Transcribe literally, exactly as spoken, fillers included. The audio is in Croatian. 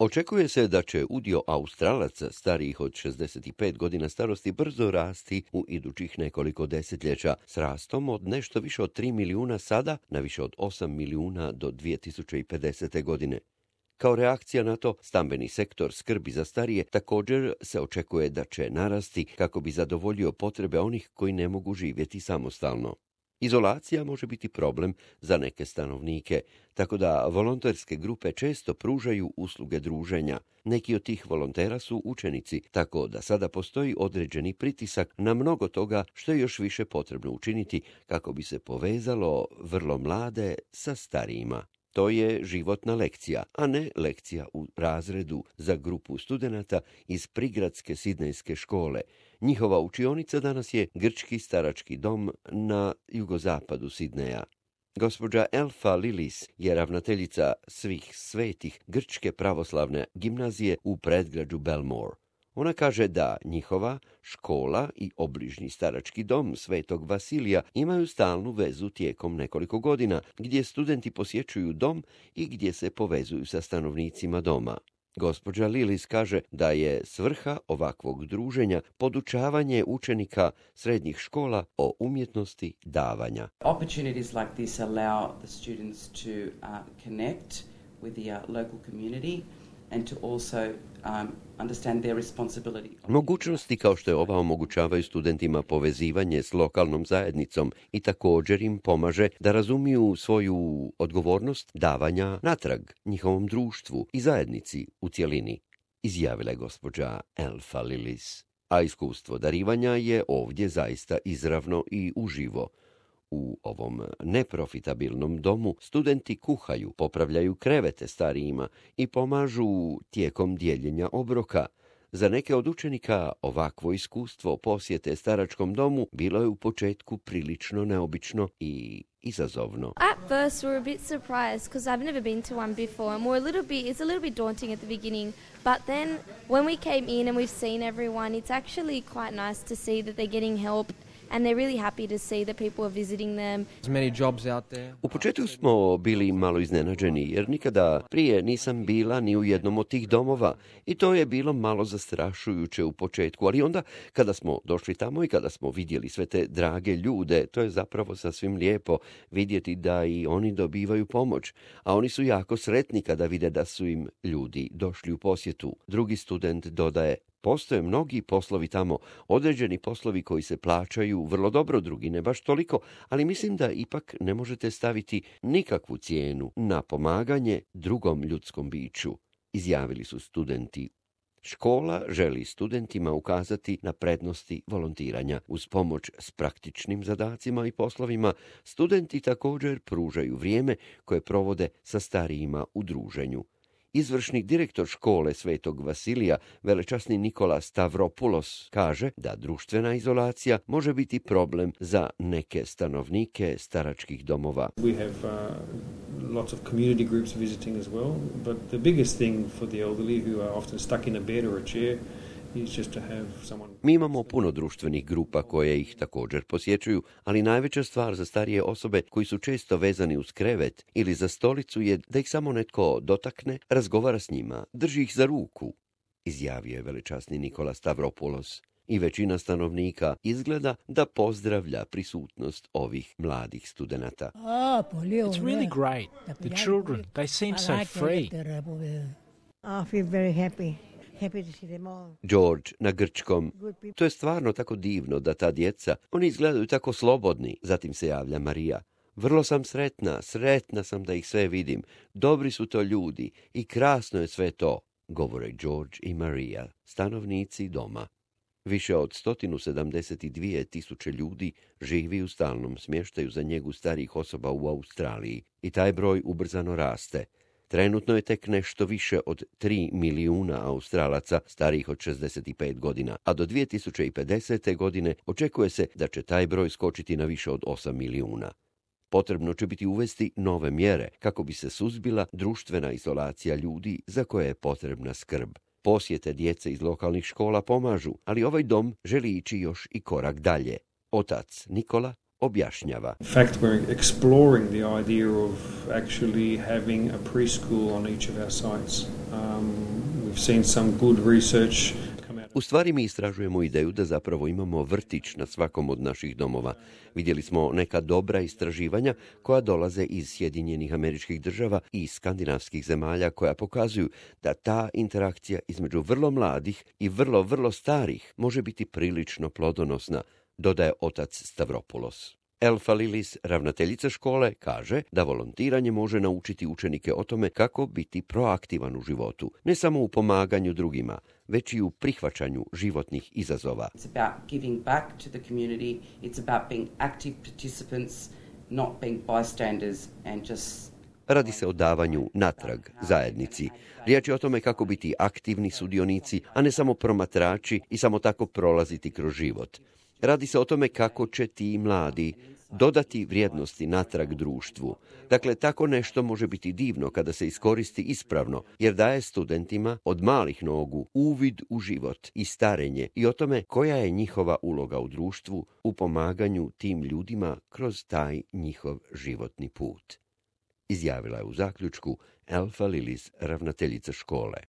Očekuje se da će udio Australaca starijih od šezdeset pet godina starosti brzo rasti u idućih nekoliko desetljeća, s rastom od nešto više od tri milijuna sada na više od osam milijuna do dvije tisuće pedesete. godine. Kao reakcija na to, stambeni sektor skrbi za starije također se očekuje da će narasti kako bi zadovoljio potrebe onih koji ne mogu živjeti samostalno. Izolacija može biti problem za neke stanovnike, tako da volonterske grupe često pružaju usluge druženja. Neki od tih volontera su učenici, tako da sada postoji određeni pritisak na mnogo toga što je još više potrebno učiniti kako bi se povezalo vrlo mlade sa starijima. To je životna lekcija, a ne lekcija u razredu za grupu studenata iz prigradske sidnejske škole. Njihova učionica danas je grčki starački dom na jugozapadu Sidneja. Gospođa Elfa Lilis je ravnateljica Svih svetih grčke pravoslavne gimnazije u predgrađu Belmore. Ona kaže da njihova škola i obližnji starački dom Svetog Vasilija imaju stalnu vezu tijekom nekoliko godina, gdje studenti posjećuju dom i gdje se povezuju sa stanovnicima doma. Gospođa Lilis kaže da je svrha ovakvog druženja podučavanje učenika srednjih škola o umjetnosti davanja. Opportunities like this allow the students to uh, connect with the uh, local community and to also um, understand their responsibility. Mogućnosti kao što je ova omogućavaju studentima povezivanje s lokalnom zajednicom i također im pomaže da razumiju svoju odgovornost davanja natrag njihovom društvu i zajednici u cjelini, izjavila je gospođa Elfa Lilis. A iskustvo darivanja je ovdje zaista izravno i uživo. U ovom neprofitabilnom domu studenti kuhaju, popravljaju krevete starijima i pomažu tijekom dijeljenja obroka. Za neke od učenika ovakvo iskustvo posjete staračkom domu bilo je u početku prilično neobično i izazovno. At first we were a bit surprised because I've never been to one before and we're a little bit, it's a little bit daunting at the beginning, but then when we came in and we've seen everyone, it's actually quite nice to see that they're getting help. And they're really happy to see that people are visiting them. U početku smo bili malo iznenađeni jer nikada prije nisam bila ni u jednom od tih domova i to je bilo malo zastrašujuće u početku, ali onda kada smo došli tamo i kada smo vidjeli sve te drage ljude, to je zapravo sasvim lijepo vidjeti da i oni dobivaju pomoć, a oni su jako sretni kada vide da su im ljudi došli u posjetu. Drugi student dodaje: postoje mnogi poslovi tamo, određeni poslovi koji se plaćaju vrlo dobro, drugi ne baš toliko, ali mislim da ipak ne možete staviti nikakvu cijenu na pomaganje drugom ljudskom biću, izjavili su studenti. Škola želi studentima ukazati na prednosti volontiranja. Uz pomoć s praktičnim zadacima i poslovima, studenti također pružaju vrijeme koje provode sa starijima u druženju. Izvršni direktor škole Svetog Vasilija, velečasni Nikola Stavropoulos, kaže da društvena izolacija može biti problem za neke stanovnike staračkih domova. We have uh, lots of community groups visiting as well, but the biggest thing for the elderly who are often stuck in a bed or a chair is just to have someone... Mi imamo puno društvenih grupa koje ih također posjećuju, ali najveća stvar za starije osobe koji su često vezani uz krevet ili za stolicu je da ih samo netko dotakne, razgovara s njima, drži ih za ruku, izjavio je velečasni Nikola Stavropoulos. I većina stanovnika izgleda da pozdravlja prisutnost ovih mladih studenata. It's really great. The children, they seem so free. I feel very happy. George na grčkom: to je stvarno tako divno da ta djeca, oni izgledaju tako slobodni. Zatim se javlja Marija: vrlo sam sretna, sretna sam da ih sve vidim. Dobri su to ljudi i krasno je sve to, govore George i Marija, stanovnici doma. Više od sto sedamdeset dvije tisuće ljudi živi u stalnom smještaju za njegu starijih osoba u Australiji i taj broj ubrzano raste. Trenutno je tek nešto više od tri milijuna Australaca starijih od šezdeset pet godina, a do dvije tisuće pedesete. godine očekuje se da će taj broj skočiti na više od osam milijuna. Potrebno će biti uvesti nove mjere kako bi se suzbila društvena izolacija ljudi za koje je potrebna skrb. Posjete djece iz lokalnih škola pomažu, ali ovaj dom želi ići još i korak dalje. Otac Nikola objašnjava. In fact, we're exploring the idea of actually having a preschool on each of our sites. Um, seen some good research come out. U stvari mi istražujemo ideju da zapravo imamo vrtić na svakom od naših domova. Vidjeli smo neka dobra istraživanja koja dolaze iz Sjedinjenih Američkih Država i skandinavskih zemalja koja pokazuju da ta interakcija između vrlo mladih i vrlo, vrlo starih može biti prilično plodonosna, dodaje otac Stavropoulos. Elfa Lilis, ravnateljica škole, kaže da volontiranje može naučiti učenike o tome kako biti proaktivan u životu, ne samo u pomaganju drugima, već i u prihvaćanju životnih izazova. It's about giving back to the community. It's about being active participants, not being bystanders and just... Radi se o davanju natrag zajednici. Riječ je o tome kako biti aktivni sudionici, a ne samo promatrači i samo tako prolaziti kroz život. Radi se o tome kako će ti mladi dodati vrijednosti natrag društvu. Dakle, tako nešto može biti divno kada se iskoristi ispravno, jer daje studentima od malih nogu uvid u život i starenje i o tome koja je njihova uloga u društvu u pomaganju tim ljudima kroz taj njihov životni put. Izjavila je u zaključku Elfa Lilis, ravnateljica škole.